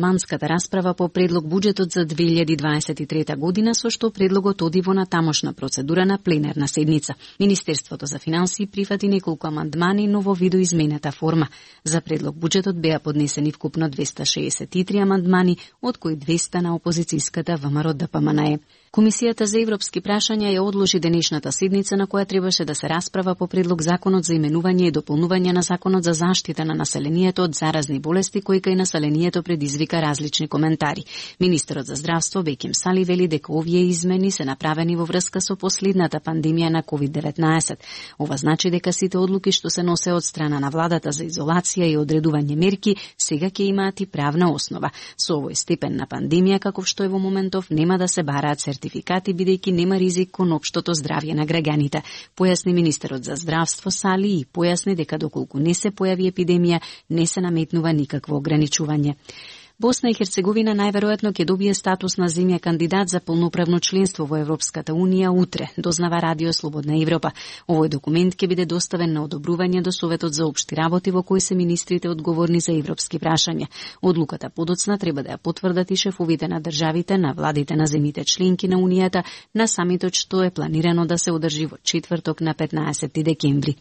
Манската расправа по предлог буџетот за 2023 година, со што предлогот оди во натамошна процедура на пленарна седница. Министерството за финансии прифати неколку амандмани, но во видоизменета форма. За предлог буџетот беа поднесени вкупно 263 амандмани, од кои 200 на опозицијската ВМРО-ДПМНЕ. Комисијата за европски прашања ја одложи денешната седница на која требаше да се расправа по предлог законот за именување и дополнување на законот за заштита на населението од заразни болести, кој кај населението предизвика различни коментари. Министерот за здравство Беким Сали вели дека овие измени се направени во врска со последната пандемија на COVID-19. Ова значи дека сите одлуки што се носе од страна на владата за изолација и одредување мерки сега ќе имаат и правна основа. Со овој степен на пандемија каков што е во моментов нема да се бараат сертификати, бидејќи нема ризик кон општото здравје на граѓаните, појасни министерот за здравство Сали и појасни дека доколку не се појави епидемија, не се наметнува никакво ограничување. Босна и Херцеговина најверојатно ќе добие статус на земја кандидат за полноправно членство во Европската Унија утре, дознава Радио Слободна Европа. Овој документ ќе биде доставен на одобрување до Советот за општи работи во кој се министрите одговорни за европски прашања. Одлуката подоцна треба да ја потврдат и шефовите на државите на владите на земјите членки на Унијата на самитот што е планирано да се одржи во четврток на 15 декември.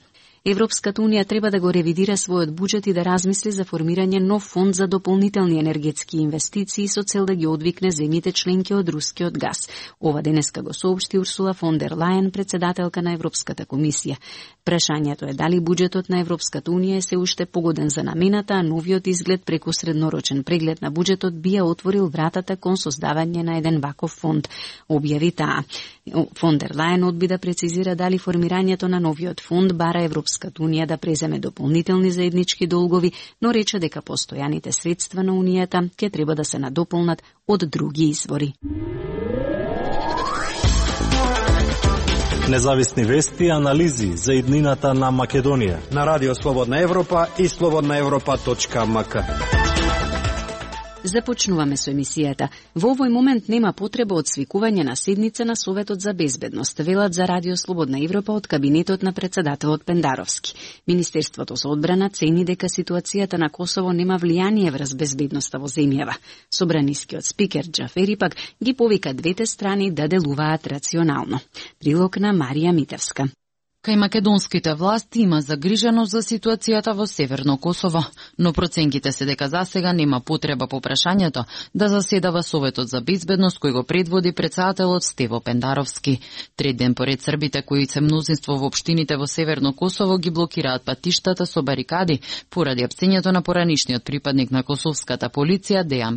Европската Унија треба да го ревидира својот буџет и да размисли за формирање нов фонд за дополнителни енергетски инвестиции со цел да ги одвикне земјите членки од рускиот газ. Ова денеска го соопшти Урсула фон дер Лајен, председателка на Европската комисија. Прашањето е дали буџетот на Европската Унија е се уште погоден за намената, а новиот изглед преку среднорочен преглед на буџетот би ја отворил вратата кон создавање на еден ваков фонд, објави таа. Фон дер Лајен одби да прецизира дали формирањето на новиот фонд бара Европската Унија да преземе дополнителни заеднички долгови, но рече дека постојаните средства на Унијата ќе треба да се надополнат од други извори. Независни вести и анализи за иднината на Македонија на Радио Слободна Европа и slobodnaevropa.mk. Започнуваме со емисијата. Во овој момент нема потреба од свикување на седница на Советот за безбедност, велат за Радио Слободна Европа од кабинетот на председателот Пендаровски. Министерството за одбрана цени дека ситуацијата на Косово нема влијание врз безбедноста во земјава. Собранискиот спикер Џафери пак ги повика двете страни да делуваат рационално. Прилог на Марија Митевска. Кај македонските власти има загриженост за ситуацијата во Северно Косово, но проценките се дека засега нема потреба по прашањето да заседава Советот за безбедност кој го предводи председателот Стево Пендаровски. Трет ден поред србите кои се мнозинство во општините во Северно Косово ги блокираат патиштата со барикади поради апсењето на поранишниот припадник на косовската полиција Дејан